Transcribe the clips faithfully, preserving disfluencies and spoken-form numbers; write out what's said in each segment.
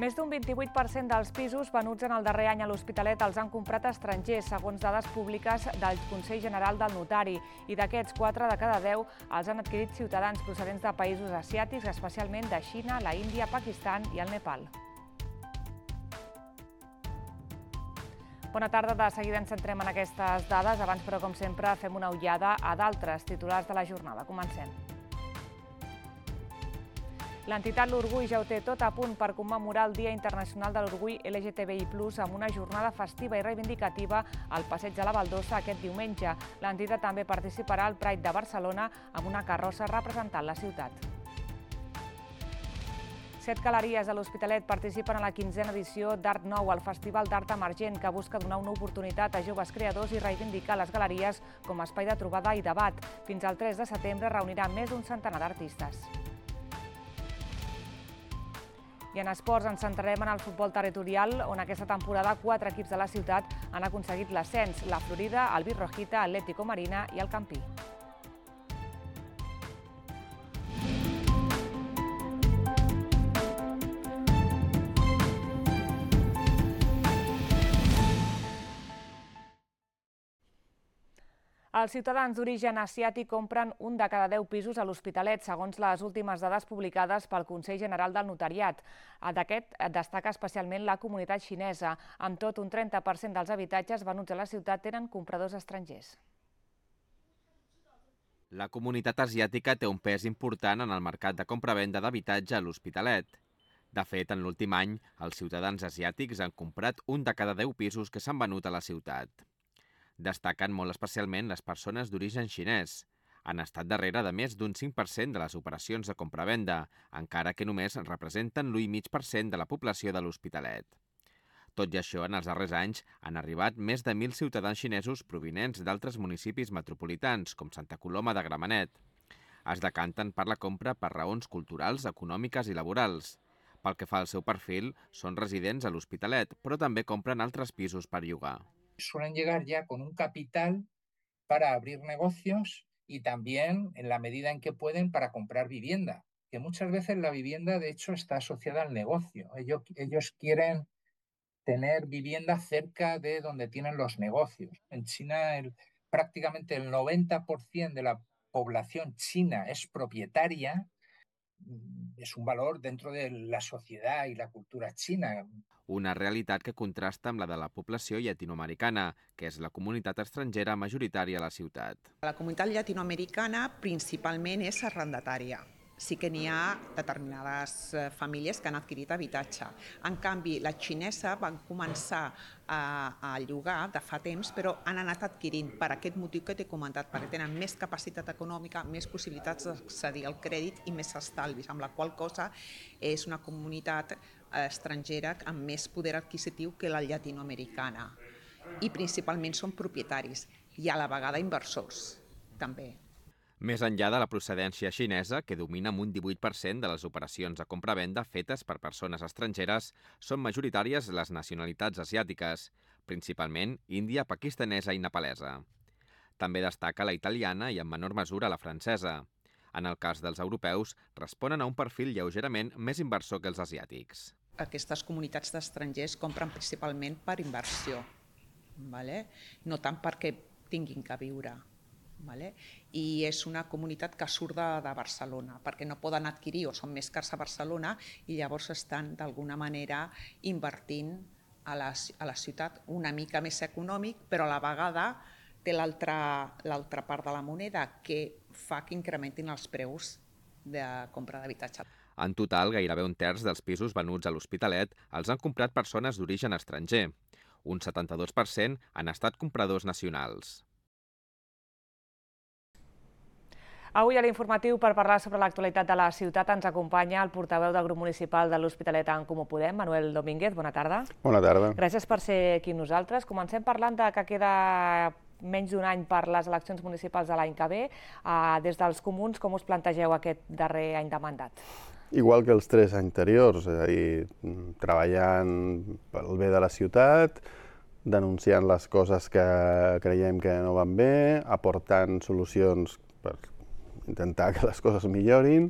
Més d'un vint-i-vuit per cent dels pisos venuts en el darrer any a l'Hospitalet els han comprat estrangers, segons dades públiques del Consell General del Notari. I d'aquests, quatre de cada deu els han adquirit ciutadans procedents de països asiàtics, especialment de Xina, la Índia, Pakistan i el Nepal. Bona tarda, de seguida ens centrem en aquestes dades. Abans, però, com sempre, fem una ullada a d'altres titulars de la jornada. Comencem. L'entitat L'Orgull ja ho té tot a punt per commemorar el Dia Internacional de l'Orgull L G T B I plus, amb una jornada festiva i reivindicativa al Passeig de la Baldosa aquest diumenge. L'entitat també participarà al Pride de Barcelona amb una carrossa representant la ciutat. Set galeries de l'Hospitalet participen a la quinzena edició d'Art Nou, el Festival d'Art Emergent, que busca donar una oportunitat a joves creadors i reivindicar les galeries com a espai de trobada i debat. Fins al tres de setembre reunirà més d'un centenar d'artistes. I en esports ens centrarem en el futbol territorial, on aquesta temporada quatre equips de la ciutat han aconseguit l'ascens: la Florida, el Virrojita, Atlético Marina i el Campí. Els ciutadans d'origen asiàtic compren un de cada deu pisos a l'Hospitalet, segons les últimes dades publicades pel Consell General del Notariat. D'aquest destaca especialment la comunitat xinesa. Amb tot, un trenta per cent dels habitatges venuts a la ciutat tenen compradors estrangers. La comunitat asiàtica té un pes important en el mercat de compra-venda d'habitatge a l'Hospitalet. De fet, en l'últim any, els ciutadans asiàtics han comprat un de cada deu pisos que s'han venut a la ciutat. Destaquen molt especialment les persones d'origen xinès. Han estat darrere de més d'un cinc per cent de les operacions de compra-venda, encara que només representen l'u coma cinc per cent de la població de l'Hospitalet. Tot i això, en els darrers anys han arribat més de mil ciutadans xinesos provinents d'altres municipis metropolitans, com Santa Coloma de Gramenet. Es decanten per la compra per raons culturals, econòmiques i laborals. Pel que fa al seu perfil, són residents a l'Hospitalet, però també compren altres pisos per llogar. Suelen llegar ya con un capital para abrir negocios y también, en la medida en que pueden, para comprar vivienda, que muchas veces la vivienda, de hecho, está asociada al negocio. Ellos, ellos quieren tener vivienda cerca de donde tienen los negocios. En China, el, prácticamente el noventa por ciento de la población china es propietaria. És un valor dentro de la societat i la cultura xina. Una realitat que contrasta amb la de la població llatinoamericana, que és la comunitat estrangera majoritària a la ciutat. La comunitat llatinoamericana principalment és arrendatària. Sí que n'hi ha determinades famílies que han adquirit habitatge. En canvi, la xinesa van començar a, a llogar de fa temps, però han anat adquirint per aquest motiu que t'he comentat, perquè tenen més capacitat econòmica, més possibilitats d'accedir al crèdit i més estalvis, amb la qual cosa és una comunitat estrangera amb més poder adquisitiu que la llatinoamericana. I principalment són propietaris i a la vegada inversors, també. Més enllà de la procedència xinesa, que domina amb un divuit per cent de les operacions de compra-venda fetes per persones estrangeres, són majoritàries les nacionalitats asiàtiques, principalment índia, pakistanesa i nepalesa. També destaca la italiana i en menor mesura la francesa. En el cas dels europeus, responen a un perfil lleugerament més inversor que els asiàtics. Aquestes comunitats d'estrangers compren principalment per inversió, vale? No tant perquè tinguin que viure. Vale? I és una comunitat que surt de, de Barcelona, perquè no poden adquirir o són més cars a Barcelona i llavors estan d'alguna manera invertint a la, a la ciutat una mica més econòmic, però a la vegada té l'altra l'altra part de la moneda que fa que incrementin els preus de compra d'habitatge. En total, gairebé un terç dels pisos venuts a l'Hospitalet els han comprat persones d'origen estranger. Un setanta-dos per cent han estat compradors nacionals. Avui a l'informatiu, per parlar sobre l'actualitat de la ciutat, ens acompanya el portaveu del grup municipal de l'Hospitalet en Comú Podem, Manuel Domínguez. Bona tarda. Bona tarda. Gràcies per ser aquí amb nosaltres. Comencem parlant de que queda menys d'un any per les eleccions municipals de l'any que ve. Des dels comuns, com us plantegeu aquest darrer any de mandat? Igual que els tres anteriors, és a dir, treballant pel bé de la ciutat, denunciant les coses que creiem que no van bé, aportant solucions per intentar que les coses millorin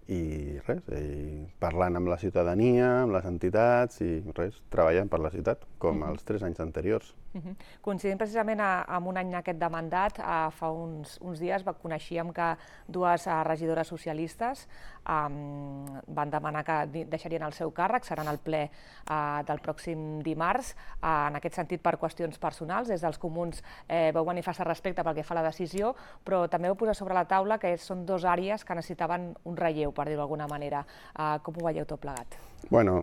i res, i parlant amb la ciutadania, amb les entitats i res, treballant per la ciutat, com els tres anys anteriors. Uh-huh. Coincidint precisament a, amb un any aquest de mandat, a, fa uns, uns dies coneixíem que dues a, regidores socialistes um, van demanar que deixarien el seu càrrec, seran al ple uh, del pròxim dimarts. Uh, en aquest sentit, per qüestions personals, des dels comuns eh, vau manifestar respecte pel que fa a la decisió, però també vau posar sobre la taula que són dues àrees que necessitaven un relleu, per dir-ho d'alguna manera. Uh, com ho veieu tot plegat? Bueno,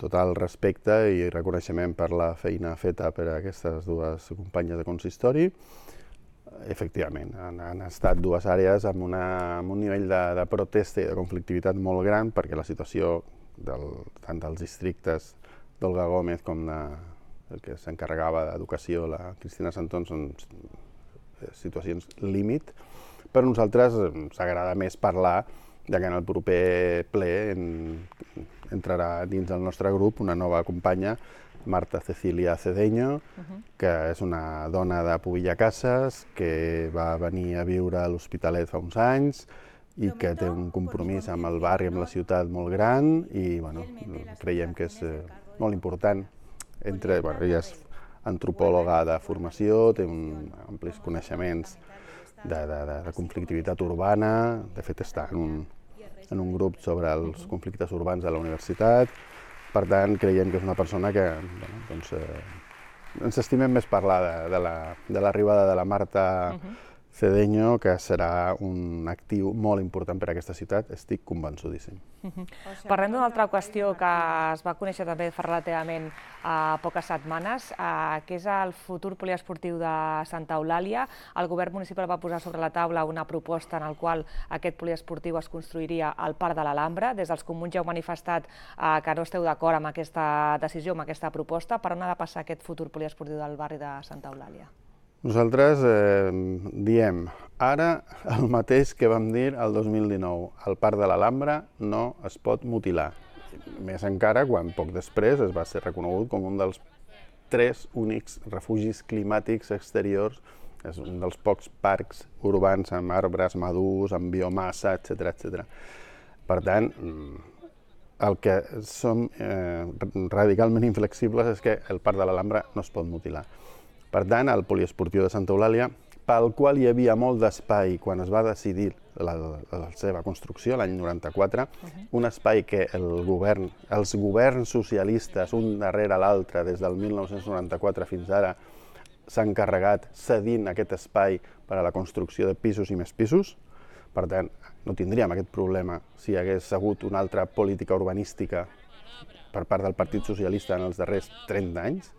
total respecte i reconeixement per la feina feta per aquestes dues companyes de consistori. Efectivament, han, han estat dues àrees amb, una, amb un nivell de, de protesta i de conflictivitat molt gran, perquè la situació del, tant dels districtes d'Olga Gómez com de, el que s'encarregava d'educació, la Cristina Santón, són situacions límit. Per nosaltres ens agrada més parlar ja que en el proper ple en, entrarà dins del nostre grup una nova companya, Marta Cecilia Cedeño, uh-huh. que és una dona de Pubillacases, que va venir a viure a l'Hospitalet fa uns anys i que té un compromís amb el barri, amb la ciutat molt gran i bueno, creiem que és eh, molt important. Entre, bueno, ella és antropòloga de formació, té un, amplis coneixements de, de, de, de conflictivitat urbana, de fet està en un, en un grup sobre els conflictes urbans de la universitat, per tant creiem que és una persona que bueno, doncs, eh, ens estimem més parlar de, de l'arribada de, de la Marta uh-huh. Cedeño, que serà un actiu molt important per a aquesta ciutat, estic convençudíssim. Uh-huh. Parlem d'una altra qüestió que es va conèixer també fa relativament a poques setmanes, eh, que és el futur poliesportiu de Santa Eulàlia. El govern municipal va posar sobre la taula una proposta en la qual aquest poliesportiu es construiria al Parc de l'Alhambra. Des dels comuns ja heu manifestat eh, que no esteu d'acord amb aquesta decisió, amb aquesta proposta. Per on ha de passar aquest futur poliesportiu del barri de Santa Eulàlia? Nosaltres eh, diem ara el mateix que vam dir el dos mil dinou. El Parc de l'Alhambra no es pot mutilar. Més encara quan poc després es va ser reconegut com un dels tres únics refugis climàtics exteriors, és un dels pocs parcs urbans amb arbres madurs, amb biomassa, etcètera, etcètera. Per tant, el que som eh, radicalment inflexibles és que el Parc de l'Alhambra no es pot mutilar. Per tant, el poliesportiu de Santa Eulàlia, pel qual hi havia molt d'espai quan es va decidir la, la seva construcció, l'any noranta-quatre, uh-huh. un espai que el govern, els governs socialistes, un darrere l'altre, des del mil nou-cents noranta-quatre fins ara, s'han encarregat cedint aquest espai per a la construcció de pisos i més pisos. Per tant, no tindríem aquest problema si hi hagués hagut una altra política urbanística per part del Partit Socialista en els darrers trenta anys.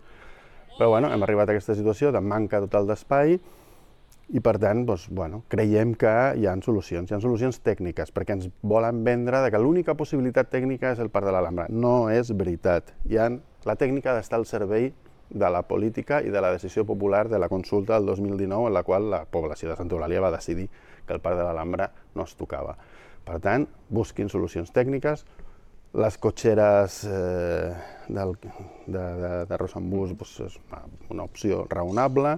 Però bueno, hem arribat a aquesta situació de manca total d'espai i per tant doncs, bueno, creiem que hi ha solucions, hi ha solucions tècniques, perquè ens volen vendre que l'única possibilitat tècnica és el Parc de l'Alhambra. No és veritat. Hi ha, la tècnica ha d'estar al servei de la política i de la decisió popular de la consulta del dos mil dinou, en la qual la població de Santa Eulàlia va decidir que el Parc de l'Alhambra no es tocava. Per tant, busquin solucions tècniques. Les cotxeres eh, del, de, de, de Rosambús doncs, és una, una opció raonable.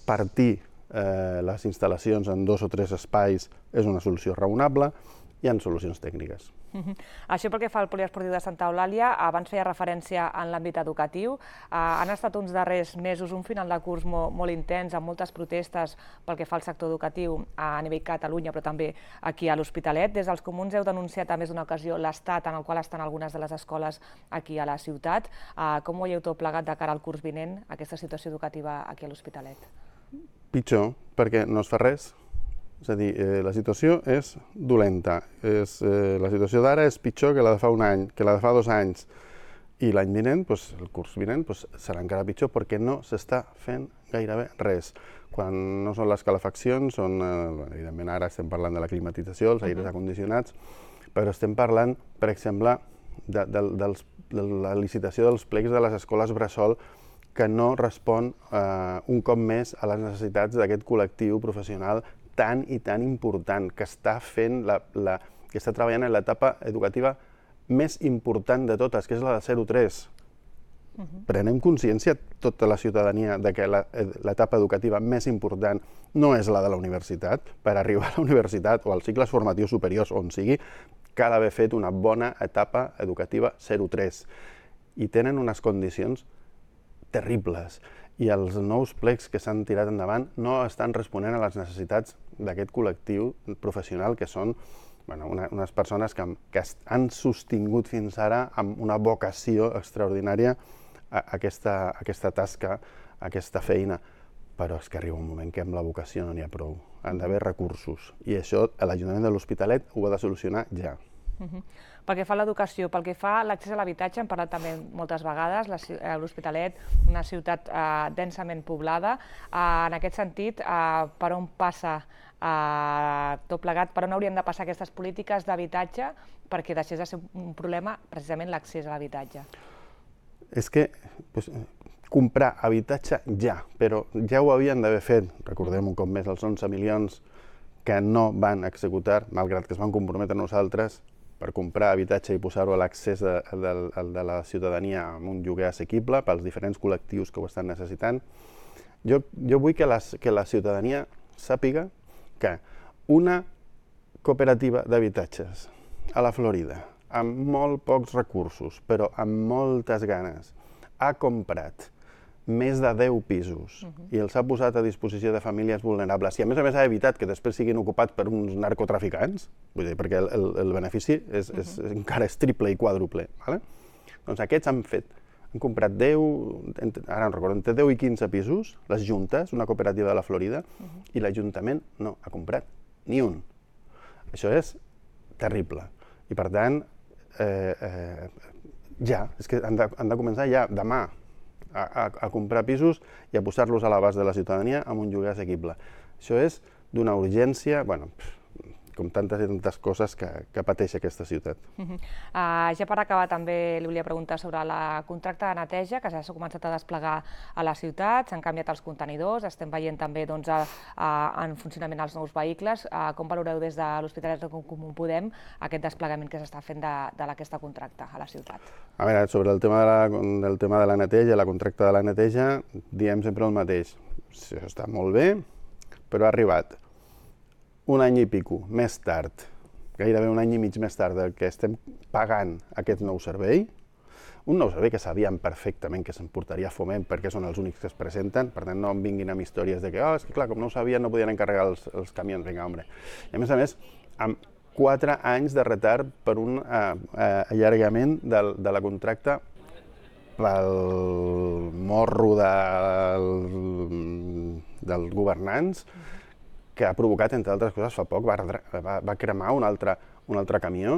Partir eh, les instal·lacions en dos o tres espais és una solució raonable. Hi ha solucions tècniques. Uh-huh. Això pel que fa al poliesportiu de Santa Eulàlia, abans feia referència en l'àmbit educatiu. Uh, han estat uns darrers mesos, un final de curs molt, molt intens, amb moltes protestes pel que fa al sector educatiu a nivell Catalunya, però també aquí a l'Hospitalet. Des dels comuns heu denunciat a més d'una ocasió l'estat en el qual estan algunes de les escoles aquí a la ciutat. Uh, com ho veieu tot plegat de cara al curs vinent, aquesta situació educativa aquí a l'Hospitalet? Pitjor, perquè no es fa res. És a dir, eh, la situació és dolenta. És, eh, la situació d'ara és pitjor que la de fa un any, que la de fa dos anys. I l'any vinent, doncs, el curs vinent, doncs, serà encara pitjor perquè no s'està fent gairebé res. Quan no són les calefaccions, són, eh, evidentment ara estem parlant de la climatització, els aires acondicionats, però estem parlant, per exemple, de, de, dels, de la licitació dels plecs de les escoles bressol que no respon eh, un cop més a les necessitats d'aquest col·lectiu professional tan i tan important, que està fent la, la, que està treballant en l'etapa educativa més important de totes, que és la de zero tres. Prenem consciència tota la ciutadania de que l'etapa educativa més important no és la de la universitat. Per arribar a la universitat o als cicles formatius superiors, on sigui, cal haver fet una bona etapa educativa zero tres. I tenen unes condicions terribles. I els nous plecs que s'han tirat endavant no estan responent a les necessitats d'aquest col·lectiu professional, que són bueno, una, unes persones que, que han sostingut fins ara amb una vocació extraordinària a, a aquesta, a aquesta tasca, a aquesta feina. Però és que arriba un moment que amb la vocació no n'hi ha prou. Han d'haver recursos. I això l'Ajuntament de l'Hospitalet ho ha de solucionar ja. Uh-huh. Pel que fa a l'educació, pel que fa a l'accés a l'habitatge, hem parlat també moltes vegades, l'Hospitalet, una ciutat eh, densament poblada. Eh, en aquest sentit, eh, per on passa eh, tot plegat, per on haurien de passar aquestes polítiques d'habitatge perquè deixés de ser un problema precisament l'accés a l'habitatge? És que pues, comprar habitatge ja, però ja ho havien d'haver fet, recordem un cop més els onze milions que no van executar, malgrat que es van comprometre nosaltres, per comprar habitatge i posar-ho a l'accés de, de, de la ciutadania amb un lloguer assequible pels diferents col·lectius que ho estan necessitant. Jo, jo vull que, les, que la ciutadania sàpiga que una cooperativa d'habitatges a la Florida, amb molt pocs recursos, però amb moltes ganes, ha comprat més de deu pisos uh-huh. i els ha posat a disposició de famílies vulnerables. I a més a més ha evitat que després siguin ocupats per uns narcotraficants, vull dir, perquè el, el, el benefici és, uh-huh. és, encara és triple i quàdruple. Vale? Doncs aquests han fet, han comprat deu, ara no recordo, entre deu i quinze pisos, les juntes, una cooperativa de la Florida, uh-huh. i l'Ajuntament no ha comprat ni un. Això és terrible. I per tant, eh, eh, ja, és que han de, han de començar ja, demà, A, a, a comprar pisos i a posar-los a l'abast de la ciutadania amb un lloguer assequible. Això és d'una urgència, bueno, com tantes i tantes coses que, que pateix aquesta ciutat. Uh-huh. uh, ja per acabar també li volia preguntar sobre la contracte de neteja que s'ha començat a desplegar a la ciutat, s'han canviat els contenidors, estem veient també doncs, a, a, en funcionament els nous vehicles. Uh, com valoreu des de l'Hospitalet de Comú Podem aquest desplegament que s'està fent de, de aquest contracte a la ciutat? A veure, sobre el tema de la, del tema de la neteja, la contracte de la neteja, diem sempre el mateix. Això està molt bé, però ha arribat un any i pico més tard, gairebé un any i mig més tard del que estem pagant aquest nou servei, un nou servei que sabíem perfectament que s'emportaria Foment perquè són els únics que es presenten, per tant no em vinguin amb històries de que, oh, és que clar, com no ho sabien no podien encarregar els, els camions, vinga, home. I a més a més, amb quatre anys de retard per un eh, eh, allargament del, de la contracta pel morro del, dels governants, que ha provocat, entre altres coses, fa poc va, va, va cremar un altre, un altre camió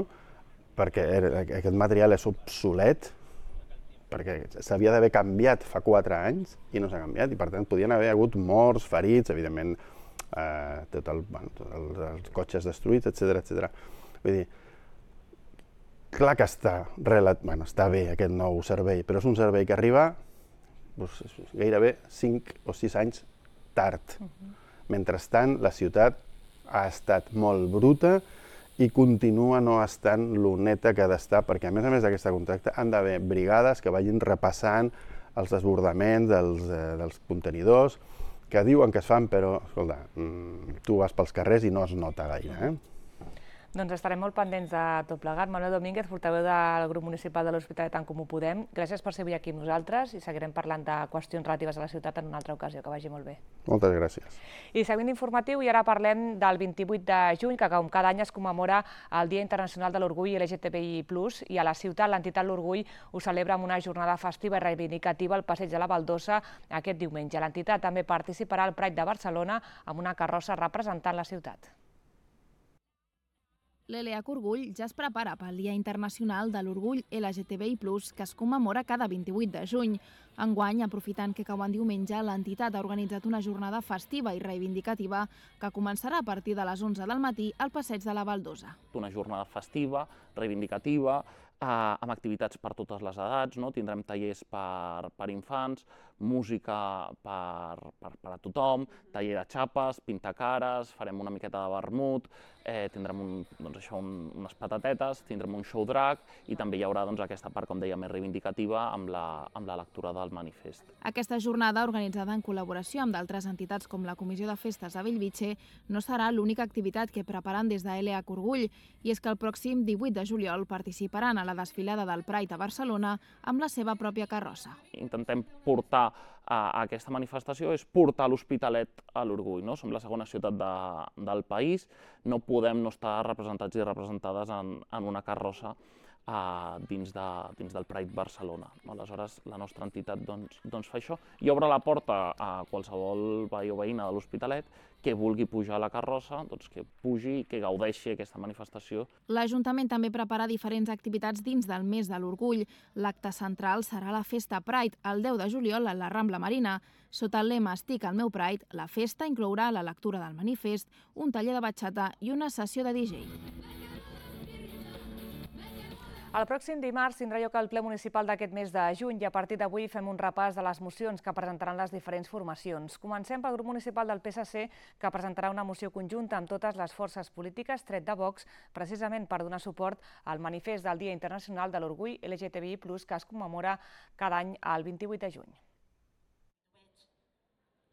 perquè era, aquest material és obsolet, perquè s'havia d'haver canviat fa quatre anys i no s'ha canviat, i per tant podien haver hagut morts, ferits, evidentment, eh, tot el, bueno, tot el, els cotxes destruïts, etcètera, etcètera. Vull dir, clar que està, relat, bueno, està bé aquest nou servei, però és un servei que arriba doncs, gairebé cinc o sis anys tard. Uh-huh. Mentrestant, la ciutat ha estat molt bruta i continua no estant lo neta que ha d'estar, perquè a més a més d'aquesta contracte han d'haver brigades que vagin repassant els desbordaments dels, eh, dels contenidors, que diuen que es fan, però, escolta, tu vas pels carrers i no es nota gaire. Eh? Doncs estarem molt pendents de tot plegat. Manuel Domínguez, portaveu del grup municipal de l'Hospitalet en Comú Podem, gràcies per ser avui aquí amb nosaltres i seguirem parlant de qüestions relatives a la ciutat en una altra ocasió. Que vagi molt bé. Moltes gràcies. I seguint l'informatiu, i ara parlem del vint-i-vuit de juny, que com cada any es commemora el Dia Internacional de l'Orgull L G T B I plus, i a la ciutat l'entitat L'Orgull ho celebra amb una jornada festiva i reivindicativa al Passeig de la Baldosa aquest diumenge. L'entitat també participarà al Pride de Barcelona amb una carrossa representant la ciutat. L'L H Orgull ja es prepara pel Dia Internacional de l'Orgull L G T B I plus, que es commemora cada vint-i-vuit de juny. Enguany, aprofitant que cau en diumenge, l'entitat ha organitzat una jornada festiva i reivindicativa que començarà a partir de les onze del matí al Passeig de la Baldosa. Una jornada festiva, reivindicativa, eh, amb activitats per totes les edats, no? Tindrem tallers per, per infants, música per, per, per a tothom, taller de xapes, pintacares, farem una miqueta de vermut, eh, tindrem un, doncs això, un, unes patatetes, tindrem un show drag i també hi haurà doncs, aquesta part, com deia, més reivindicativa amb la, amb la lectura del manifest. Aquesta jornada, organitzada en col·laboració amb d'altres entitats com la Comissió de Festes de Bellvitge, no serà l'única activitat que preparen des de L A Orgull, i és que el pròxim divuit de juliol participaran a la desfilada del Pride a Barcelona amb la seva pròpia carrossa. Intentem portar a aquesta manifestació és portar l'Hospitalet a l'orgull. No? Som la segona ciutat de, del país, no podem no estar representats i representades en, en una carrossa uh, dins, de, dins del Pride Barcelona. Aleshores, la nostra entitat doncs, doncs fa això i obre la porta a qualsevol veí o veïna de l'Hospitalet que vulgui pujar a la carrossa, doncs que pugi i que gaudeixi aquesta manifestació. L'Ajuntament també prepara diferents activitats dins del mes de l'Orgull. L'acte central serà la Festa Pride, el deu de juliol a la Rambla Marina. Sota el lema Estic al meu Pride, la festa inclourà la lectura del manifest, un taller de batxata i una sessió de D J. El pròxim dimarts tindrà lloc el ple municipal d'aquest mes de juny i a partir d'avui fem un repàs de les mocions que presentaran les diferents formacions. Comencem pel grup municipal del P S C, que presentarà una moció conjunta amb totes les forces polítiques, tret de Vox, precisament per donar suport al manifest del Dia Internacional de l'Orgull L G T B I plus, que es commemora cada any el vint-i-vuit de juny.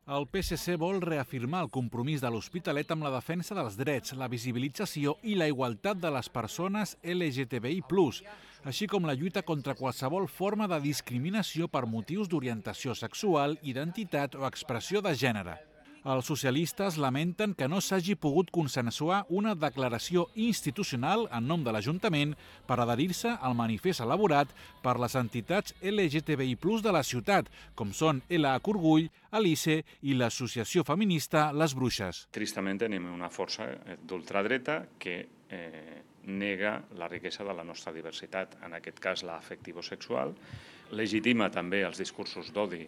El P S C vol reafirmar el compromís de l'Hospitalet amb la defensa dels drets, la visibilització i la igualtat de les persones L G T B I plus, així com la lluita contra qualsevol forma de discriminació per motius d'orientació sexual, identitat o expressió de gènere. Els socialistes lamenten que no s'hagi pogut consensuar una declaració institucional en nom de l'Ajuntament per adherir-se al manifest elaborat per les entitats L G T B I plus de la ciutat, com són L A Orgull, Alice i l'associació feminista Les Bruixes. Tristament tenim una força d'ultradreta que eh, nega la riquesa de la nostra diversitat, en aquest cas l'afectivo-sexual, legitima també els discursos d'odi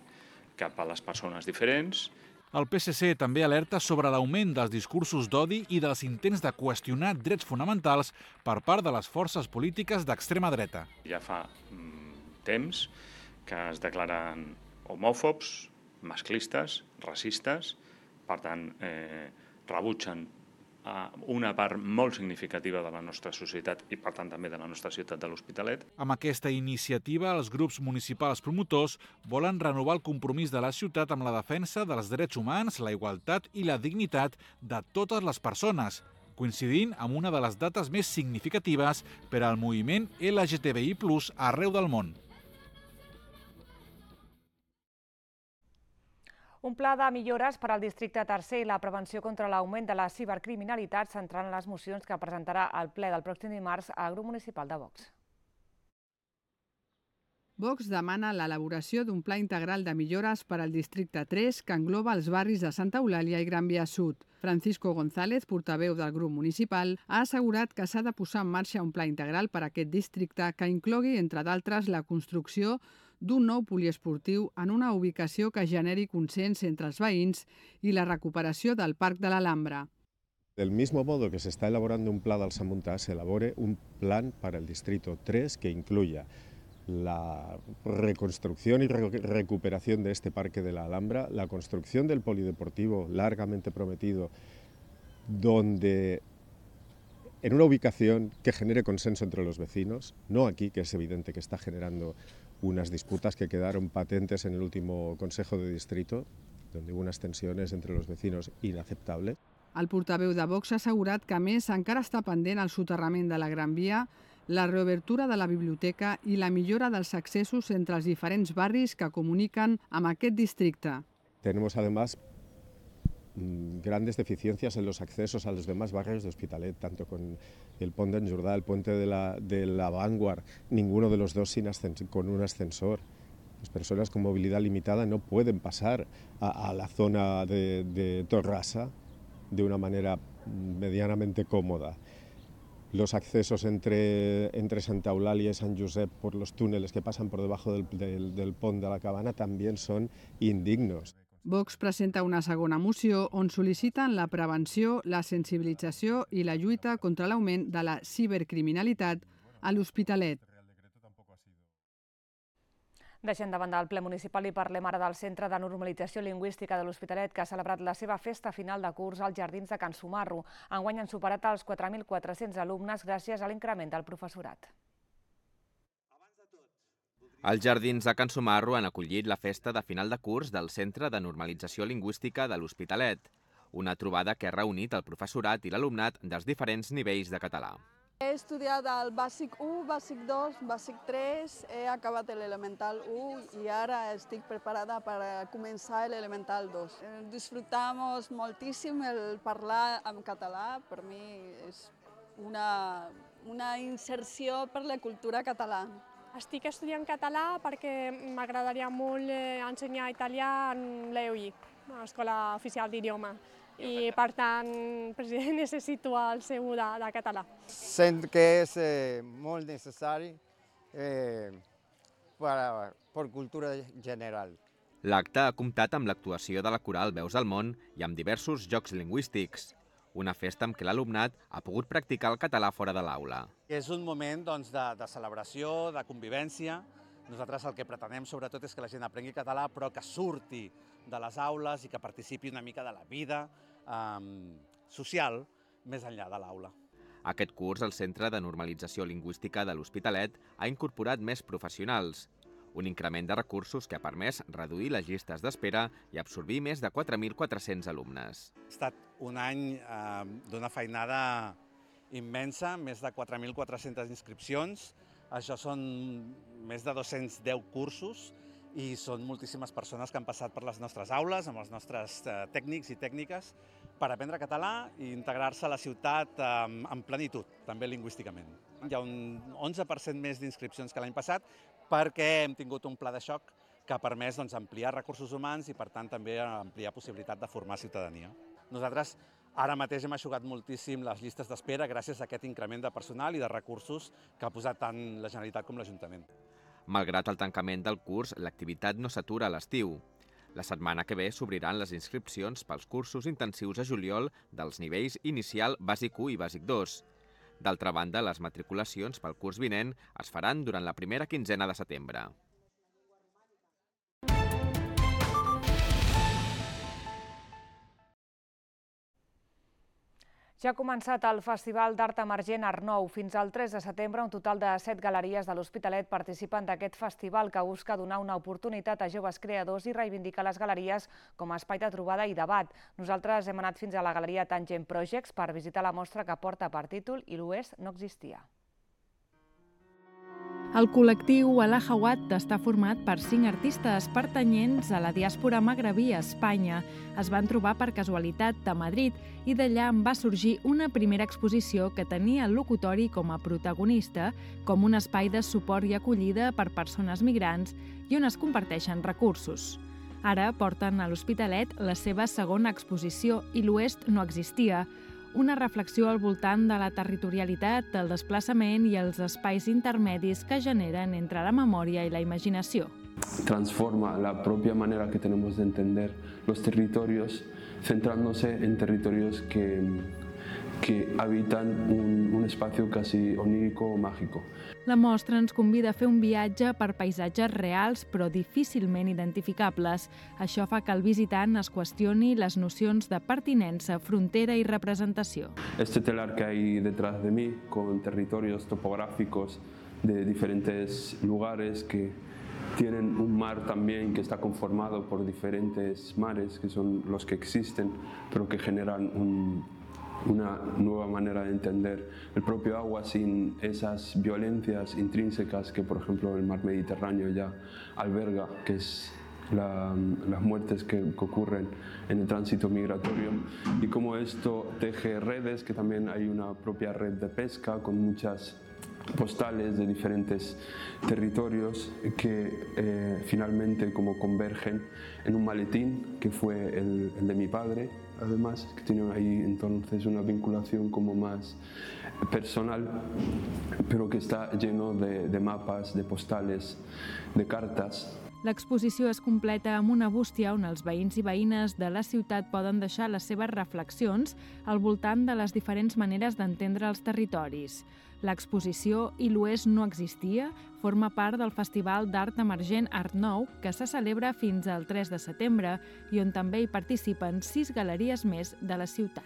cap a les persones diferents. El P S C també alerta sobre l'augment dels discursos d'odi i dels intents de qüestionar drets fonamentals per part de les forces polítiques d'extrema dreta. Ja fa mm, temps que es declaren homòfobs, masclistes, racistes, per tant, eh, rebutgen una part molt significativa de la nostra societat i, per tant, també de la nostra ciutat de l'Hospitalet. Amb aquesta iniciativa, els grups municipals promotors volen renovar el compromís de la ciutat amb la defensa dels drets humans, la igualtat i la dignitat de totes les persones, coincidint amb una de les dates més significatives per al moviment L G T B I plus arreu del món. Un pla de millores per al districte tercer i la prevenció contra l'augment de la cibercriminalitat centrant les mocions que presentarà el ple del pròxim dimarts al grup municipal de Vox. Vox demana l'elaboració d'un pla integral de millores per al districte tres que engloba els barris de Santa Eulàlia i Gran Via Sud. Francisco González, portaveu del grup municipal, ha assegurat que s'ha de posar en marxa un pla integral per a aquest districte que inclogui, entre d'altres, la construcció d'un nou poliesportiu en una ubicació que generi consens entre els veïns i la recuperació del Parc de l'Alhambra. Del mismo modo que se está elaborando un plan del Samuntá, se elabore un plan para el distrito tres que incluya la reconstrucción y recuperación de este Parque de la Alhambra, la construcción del polideportivo largamente prometido, donde en una ubicación que genere consenso entre los vecinos, no aquí, que es evidente que está generando unas disputas que quedaron patentes en el último Consejo de Distrito, donde hubo unas tensiones entre los vecinos inaceptables. El portaveu de Vox ha assegurat que, a més, encara està pendent el soterrament de la Gran Via, la reobertura de la biblioteca i la millora dels accessos entre els diferents barris que comuniquen amb aquest districte. Tenemos, además, grandes deficiencias en los accesos a los demás barrios de Hospitalet, tanto con el Pont d'en Jordà, el puente de la, de la Vanguard, ninguno de los dos sin ascensor, con un ascensor. Las personas con movilidad limitada no pueden pasar a, a la zona de, de Torrassa de una manera medianamente cómoda. Los accesos entre, entre Santa Eulàlia y San Josep por los túneles que pasan por debajo del, del, del pont de la Cabana también son indignos. Vox presenta una segona moció on sol·liciten la prevenció, la sensibilització i la lluita contra l'augment de la cibercriminalitat a l'Hospitalet. Deixem de banda el ple municipal i parlem ara del Centre de Normalització Lingüística de l'Hospitalet, que ha celebrat la seva festa final de curs als Jardins de Can Sumarro. Enguany han superat els quatre mil quatre-cents alumnes gràcies a l'increment del professorat. Els Jardins de Can Sumarro han acollit la festa de final de curs del Centre de Normalització Lingüística de l'Hospitalet, una trobada que ha reunit el professorat i l'alumnat dels diferents nivells de català. He estudiat el bàsic u, bàsic dos, bàsic tres, he acabat l'elemental u i ara estic preparada per començar l'elemental dos. Disfrutamos moltíssim el parlar en català, per mi és una, una inserció per la cultura catalana. Estic estudiant català perquè m'agradaria molt ensenyar italià en l'E O I, l'Escola Oficial d'Idioma. I, per tant, president, necessito el seu de, de català. Sent que és eh, molt necessari eh, per, per cultura general. L'acte ha comptat amb l'actuació de la coral Veus del Món i amb diversos jocs lingüístics. Una festa amb què l'alumnat ha pogut practicar el català fora de l'aula. És un moment doncs, de, de celebració, de convivència. Nosaltres el que pretenem sobretot és que la gent aprengui català, però que surti de les aules i que participi una mica de la vida eh, social més enllà de l'aula. Aquest curs, el Centre de Normalització Lingüística de l'Hospitalet ha incorporat més professionals, un increment de recursos que ha permès reduir les llistes d'espera i absorbir més de quatre mil quatre-cents alumnes. Ha estat un any eh, d'una feinada immensa, més de quatre mil quatre-centes inscripcions. Això són més de dos-cents deu cursos i són moltíssimes persones que han passat per les nostres aules, amb els nostres eh, tècnics i tècniques, per aprendre català i integrar-se a la ciutat eh, en plenitud, també lingüísticament. Hi ha un onze per cent més d'inscripcions que l'any passat perquè hem tingut un pla de xoc que ha permès doncs, ampliar recursos humans i, per tant, també ampliar possibilitat de formar ciutadania. Nosaltres ara mateix hem eixugat moltíssim les llistes d'espera gràcies a aquest increment de personal i de recursos que ha posat tant la Generalitat com l'Ajuntament. Malgrat el tancament del curs, l'activitat no s'atura a l'estiu. La setmana que ve s'obriran les inscripcions pels cursos intensius a juliol dels nivells inicial bàsic u i bàsic dos. D'altra banda, les matriculacions pel curs vinent es faran durant la primera quinzena de setembre. Ja ha començat el Festival d'Art Emergent Arnou. Fins al tres de setembre, un total de set galeries de l'Hospitalet participen d'aquest festival que busca donar una oportunitat a joves creadors i reivindicar les galeries com a espai de trobada i debat. Nosaltres hem anat fins a la galeria Tangent Projects per visitar la mostra que porta per títol I l'Oest no existia. El col·lectiu Alahawat està format per cinc artistes pertanyents a la diàspora magrebí a Espanya. Es van trobar per casualitat a Madrid i d'allà en va sorgir una primera exposició que tenia el locutori com a protagonista, com un espai de suport i acollida per persones migrants i on es comparteixen recursos. Ara porten a l'Hospitalet la seva segona exposició I l'Oest no existia, una reflexió al voltant de la territorialitat, el desplaçament i els espais intermedis que generen entre la memòria i la imaginació. Transforma la propia manera que tenemos de entender los territorios, centrándose en territorios que, que habitan un, un espacio casi onírico o mágico. La mostra ens convida a fer un viatge per paisatges reals però difícilment identificables. Això fa que el visitant es qüestioni les nocions de pertinença, frontera i representació. Este telar que hay detrás de mí, con territorios topográficos de diferentes lugares que tienen un mar también que está conformado por diferentes mares, que son los que existen, pero que generan un una nueva manera de entender el propio agua sin esas violencias intrínsecas que, por ejemplo, el mar Mediterráneo ya alberga, que es la, las muertes que, que ocurren en el tránsito migratorio, y cómo esto teje redes, que también hay una propia red de pesca con muchas postales de diferentes territorios que eh, finalmente como convergen en un maletín que fue el, el de mi padre, además, que tiene ahí entonces una vinculación como más personal, pero que está lleno de, de mapas, de postales, de cartas. L'exposició es completa amb una bústia on els veïns i veïnes de la ciutat poden deixar les seves reflexions al voltant de les diferents maneres d'entendre els territoris. L'exposició I l'Oest no existia forma part del Festival d'Art Emergent Art Nou, que se celebra fins al tres de setembre i on també hi participen sis galeries més de la ciutat.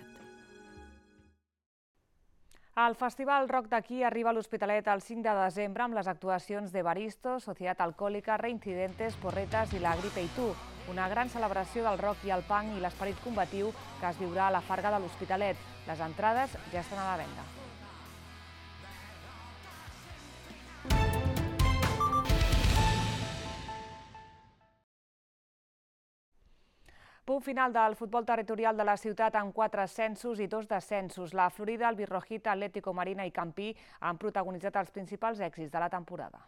El Festival Rock d'aquí arriba a l'Hospitalet el cinc de desembre amb les actuacions de Baristo, Societat Alcohòlica, Reincidentes, Porretes i La Gripe i tu. Una gran celebració del rock i el punk i l'esperit combatiu que es viurà a la Farga de l'Hospitalet. Les entrades ja estan a la venda. Punt final del futbol territorial de la ciutat amb quatre ascensos i dos descensos. La Florida, el Birrojita, Atlético Marina i Campí han protagonitzat els principals èxits de la temporada.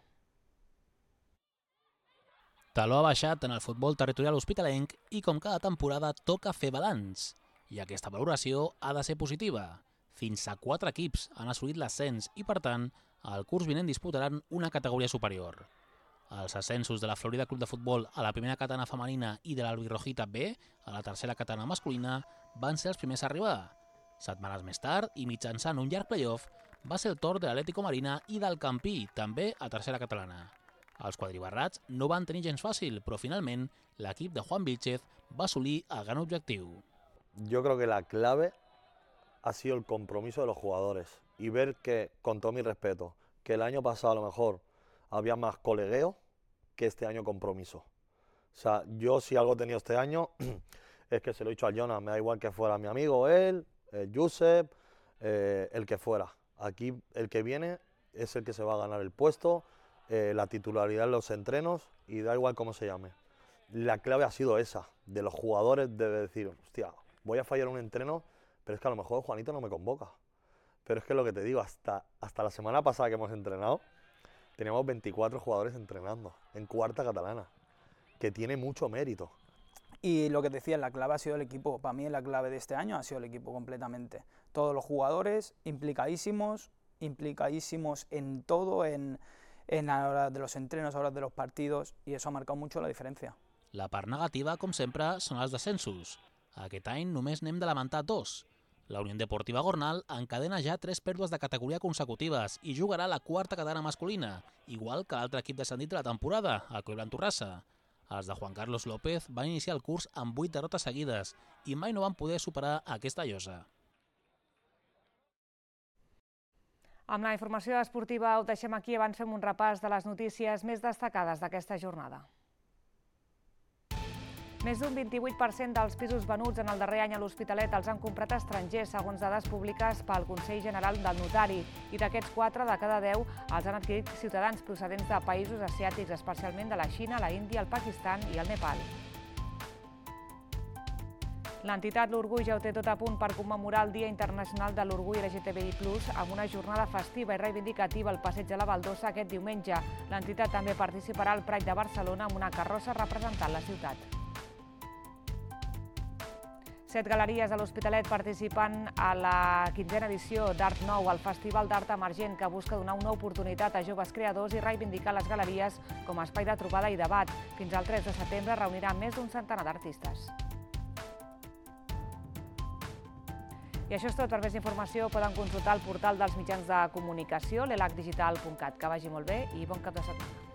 Taló ha baixat en el futbol territorial hospitalenc i com cada temporada toca fer balanç. I aquesta valoració ha de ser positiva. Fins a quatre equips han assolit l'ascens i, per tant, el curs vinent disputaran una categoria superior. Els ascensos de la Florida Club de Futbol a la primera catalana femenina i de l'Albirrojita B a la tercera catalana masculina van ser els primers a arribar. Setmanes més tard, i mitjançant un llarg playoff, va ser el torn de l'Atlético Marina i del Campí, també a tercera catalana. Els quadribarrats no van tenir gens fàcil, però finalment l'equip de Juan Vilchez va assolir el gran objectiu. Yo creo que la clave ha sido el compromiso de los jugadores y ver que, con todo mi respeto, que el año pasado a lo mejor había más colegueo que este año compromiso. O sea, yo si algo he tenido este año es que se lo he dicho a Jonas, me da igual que fuera mi amigo él, el Josep, eh, el que fuera. Aquí el que viene es el que se va a ganar el puesto, eh, la titularidad en los entrenos y da igual cómo se llame. La clave ha sido esa, de los jugadores de decir, hostia, voy a fallar un entreno, pero es que a lo mejor Juanito no me convoca. Pero es que lo que te digo, hasta, hasta la semana pasada que hemos entrenado, teníamos veinticuatro jugadores entrenando en cuarta catalana, que tiene mucho mérito. Y lo que te decía, la clave ha sido el equipo. Para mí la clave de este año ha sido el equipo completamente. Todos los jugadores implicadísimos, implicadísimos en todo, en, en la hora de los entrenos, a hora de los partidos, y eso ha marcado mucho la diferència. La part negativa, com sempre, són els descensos. Aquest any només n'hem de lamentar dos. La Unió Deportiva Gornal encadena ja tres pèrdues de categoria consecutives i jugarà la quarta catalana masculina, igual que l'altre equip descendit de la temporada, el Coiblan Torrassa. Els de Juan Carlos López van iniciar el curs amb vuit derrotes seguides i mai no van poder superar aquesta llosa. Amb la informació esportiva ho deixem aquí, abans fem un repàs de les notícies més destacades d'aquesta jornada. Més d'un vint-i-vuit per cent dels pisos venuts en el darrer any a l'Hospitalet els han comprat estrangers, segons dades públiques pel Consell General del Notari. I d'aquests quatre de cada deu els han adquirit ciutadans procedents de països asiàtics, especialment de la Xina, la Índia, el Pakistan i el Nepal. L'entitat L'Orgull ja ho té tot a punt per commemorar el Dia Internacional de l'Orgull L G T B I plus, amb una jornada festiva i reivindicativa al Passeig de la Baldosa aquest diumenge. L'entitat també participarà al Pride de Barcelona amb una carrossa representant la ciutat. Set galeries a l'Hospitalet participen a la quinzena edició d'Art Nou, el Festival d'Art Emergent que busca donar una oportunitat a joves creadors i reivindicar les galeries com a espai de trobada i debat. Fins al tres de setembre reunirà més d'un centenar d'artistes. I això és tot. Per més informació poden consultar el portal dels mitjans de comunicació, l'elac digital punt cat. Que vagi molt bé i bon cap de setmana.